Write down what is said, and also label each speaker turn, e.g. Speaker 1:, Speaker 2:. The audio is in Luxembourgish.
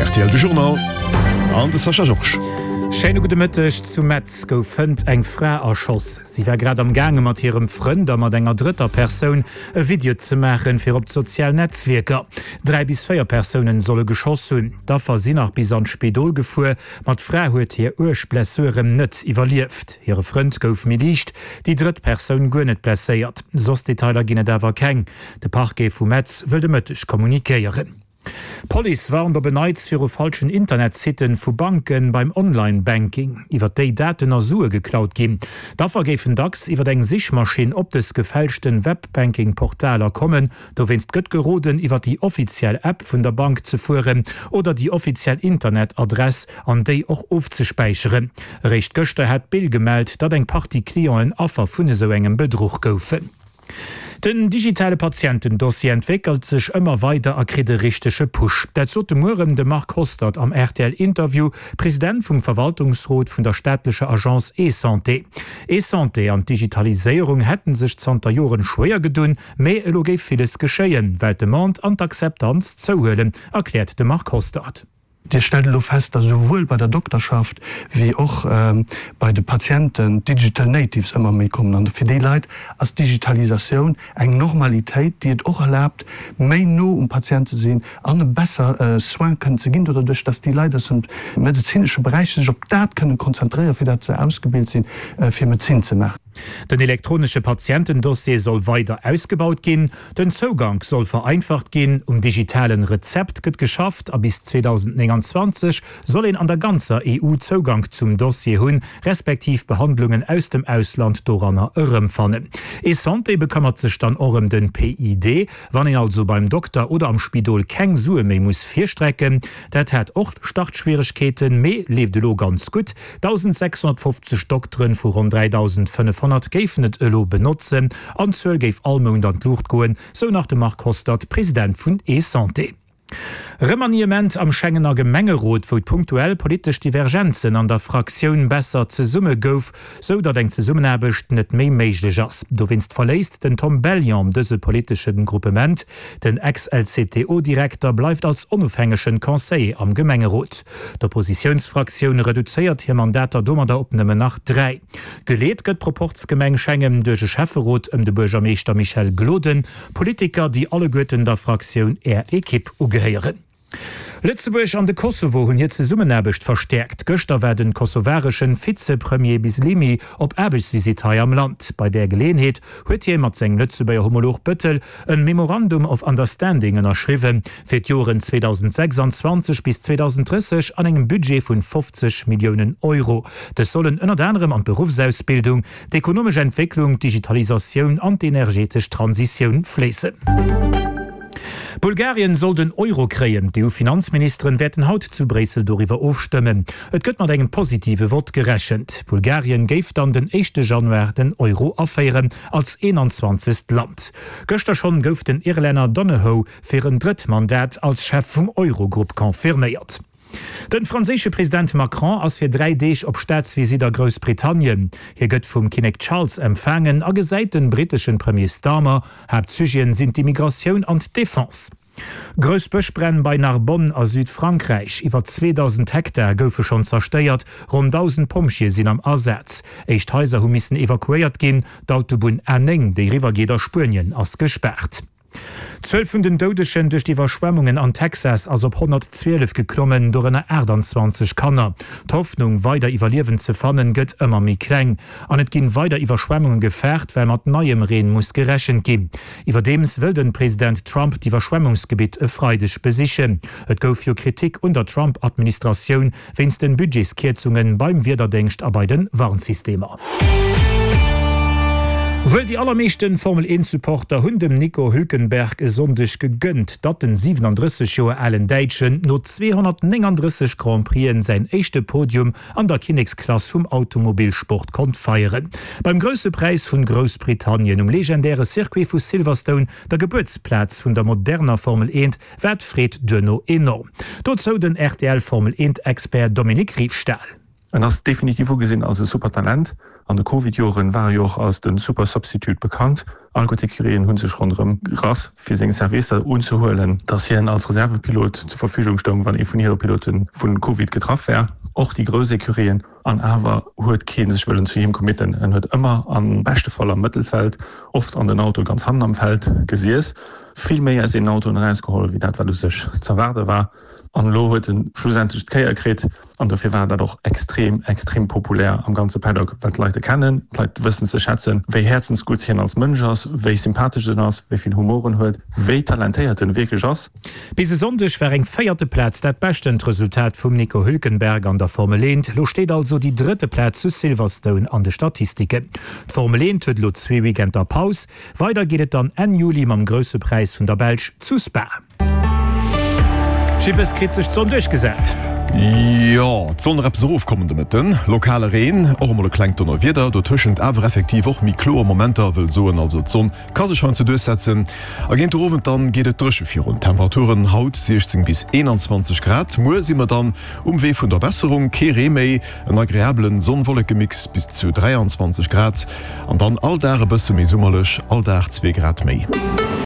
Speaker 1: Rtl de Journal an de Sascha Georges.
Speaker 2: Schéine gudde Mëtteg. Zu Metz gouf hënt eng Fra erschoss. Si war grad am gaange mat hirem Frënd a mat enger drëtter Persoun e Video ze maachen fir op d'sozial Netzwierker. 3 bis 4 Persounen solle geschoss hunn. D'Affer sinn nach bis an d'Spidol gefuer, ma d'Fra huet hir uerg Blessuren net iwwerlieft. Hire Frënd gouf méi liicht, déi drëtt Persoun guer net blesséiert. Soss Detailer ginn et awer keng. De Parquet vu Metz wëll de Mëtteg kommunikéieren. D'Police warnt op en Neits viru falschen Internetsitten vu Banken beim Online-Banking, iwwer déi Daten a Sue geklaut ginn. D'Affer géifen dacks iwwer eng Sichmaschinn op dës gefälschten Webbanking-Portaler kommen. Dowéinst gëtt geroden, iwwer déi offiziell App vun der Bank ze fueren oder déi offiziell Internetadress an déi och ofzespäicheren. Eréischt gëschter hat d'Bill gemellt, datt eng Partie Clienten Affer vun esou engem Bedruch goufen. Den digitale Patientendossier entwéckelt sech ëmmer weider a kritt e richtege Push. Dat sot de Mueren de Marc Hostert am RTL-Interview, President vum Verwaltungsrot vun der staatlecher Agence eSanté. ESanté an d'Digitaliséierung hätten sech zanter Joren schwéier gedunn, mee elo géif villes geschéien, well d'Demande an d'Akzeptanz zouhuelen, erkläert de Marc Hostert.
Speaker 3: Dir stellt elo fest, datt esouwuel bei der Dokterschaft wéi och bei de Patienten d'Digital Natives ëmmer méi kommen. An fir déi Leit ass d'Digitalisatioun eng Normalitéit, déi et och erlaabt, méi no um Patient ze sinn an e besser Soin kënnen ze ginn, doduerch datt déi Leit aus dem medezinesche Beräich sech op dat kënnen konzentréieren, fir dat se ausgebilt sinn, fir Medezin ze maachen.
Speaker 2: Den elektronesche Patientendossier soll weider ausgebaut ginn, den Zougank soll vereinfacht ginn, um digitalen Rezept gëtt geschafft a bis 2029 soll een an der ganzer EU Zougank zum Dossier hunn, respektiv Behandlungen aus dem Ausland doranner erëmfannen. ESanté bekëmmert sech dann och ëm den PID, wann een also beim Dokter oder am Spidol keng Sue méi muss virstrecken. Dat hat och Startschwieregkeeten, mee leeft elo ganz gutt. 1.650 Dokteren vu ronn 3.500 géifen et elo benotzen an d'Zuel géif all Mount an d'Luucht goen, sou nach de Marc Hostert, President vun eSanté. Remaniement am Schengener Gemengerot, wou d'punktuell politesch Divergenzen an der Fraktioun besser zesumme gouf, sou datt eng Zesummenaarbecht net méi méiglech ass. Dowéinst verléisst den Tom Bellion dëse politesche Gruppement. Den Ex-LCTO-Direkter bleift als onofhängegen Conseiller am Gemengerot. D'Oppositiounsfraktioun reduzéiert hir Mandater domadder op nëmmen nach 3. Geleet gëtt d'Proporzgemeng Schengen duerch e Schäfferot ëm de Buergermeeschter Michel Gloden, Politiker, déi alleguerten der Fraktioun Är Ekipp ugehéieren. Lëtzebuerg an de Kosovo hunn hir Zesummenaarbecht verstäerkt. Gëschter war den kosovareschen Vizepremier Bislimi op Aarbechtsvisitt hei am Land. Bei där Geleeënheet huet hie mat sengem Lëtzebuerger Homolog Bettel en Memorandum of Understanding ënnerschriwwen, fir d'Joren 2026 bis 2030 an engem Budget vun 50 Milliounen Euro. Dës sollen ënnert anerem an d'Beruffsausbildung, d'ekonomesch Entwécklung, d'Digitalisatioun an d'energetesch Transitioun fléissen. Bulgarien soll den Euro kréien. D'EU-Finanzministeren wäerten haut zu Bréissel doriwwer ofstëmmen. Et gëtt mat engem positive Vott gerechent. Bulgarien géif dann den éischte Januar den Euro aféieren, als 21. Land. Gëschter schonn gouf den Irlänner Donohoe fir en drëtt Mandat als Chef vum Eurogrupp confirméiert. De franséische President Macron ass fir 3 Deeg op Staatsvisitt a Groussbritannien. Hie gëtt vum Kinnek Charles empfaangen a gesäit de britteschen Premier Starmer. Haaptsujeten sinn d'Immigratioun an d'Defense. Grouss Bëschbränn bei Narbonne a Südfrankräich, Iwwer 2.000 Hektar goufe schonn zerstéiert, ronn 1.000 Pompjeeë sinn am Asaz. Éischt Haiser hu missen evakuéiert ginn. D'Autobunn A9, déi eriwwer geet a Spuenien, ass gespaart. D'Zuel vun den Doudegen duerch d'Iwwerschwemmungen an Texas ass op 112 geklommen, dorënner 28 Kanner. D'Hoffnung, weider Iwwerliewend ze fannen, gëtt ëmmer méi kleng. An et ginn weider Iwwerschwemmunge gefaart, well mat neiem Reen muss gerechent ginn. Iwwerdeems wëll den President Trump d'Iwwerschwemmungsgebitt e Freideg besichen. Et gouf jo Kritik un der Trump-Administratioun wéinst den Budgetskierzungen beim Wiederdéngscht a bei den Warnsystemer. Wuel déi allermeeschten Formel 1 Supporter hunn dem Nico Hülkenberg e Sonndeg gegënnt, datt den 37 Joer alen Däitschen no 239 Grand Prixen säin éischte Podium an der Kinneksklass vum Automobilsport konnt feieren. Beim Grousse Präis vun Groussbritannien um legendäre Circuit vu Silverstone, der Gebuertsplaz vun der moderner Formel 1, war d'Freed duerno enorm. Dozou den RTL Formel 1 Expert Dominique Riefstahl.
Speaker 4: En ass definitiv ugesinn als e super Talent. An de Covid-Joren war e jo och als de super Substitute bekannt. All gutt Ecurien hu sech ronderëm gerass fir seng Servicer unzehuelen, dass hien als Reservepilot zur Verfügung stoung, wann ee vun hire Pilote vu Covid getraff war. Och déi grouss Ecurien. An awer huet kee sech wëllen zu him committen. En huet ëmmer am beschte Fall am Mëttelfeld, oft an den Autoe ganz hannen am Feld gesiess. Vill méi aus deenen Autoen erausgeholl, wéi dat wat u sech z'erwaarde war. An elo huet en schlussendlech d'Kéier kritt. An dofir war dat och extrem, extrem populär am ganze Paddock, well d'Leit e kennen, d'Leit wëssen ze schätzen, wéi häerzensgutt hien als Mënsch ass, wéi sympathesch en ass, wéi vill Humor en huet, wéi talentéiert en wierklech ass.
Speaker 2: Bis e Sonndeg war eng véierte Plaz dat beschtent Resultat vum Nico Hülkenberg an der Formel 1. Lo steet also déi drëtte Plaz zu Silverstone an de Statistiken. D'Formel 1 huet elo zwee Weekender Paus. Weider geet et dann Enn Juli mam Grousse Präis vun der Belsch zu Spa. Jippes kritt sech d'Sonn duerchgesat.
Speaker 1: Jo, et soll nach eppes erofkommen de Mëtten. Lokale Reen, och emol e klengt Donnerwieder, dotëschent awer effektiv och méi kloer Momenter, wëll soen also d'Sonn ka sech heiansdo duerchsetzen. A géint de Owend dann geet et dréche virun. Temperaturen haut 16 bis 21 Grad. Muer si mer dann um Wee vun der Besserung, kee Ree méi, en agreabelen Sonn-Wolleke-Mix bis zu 23 Grad an dann all Dag e bësse méi summerlech, all Dag zwee Grad méi.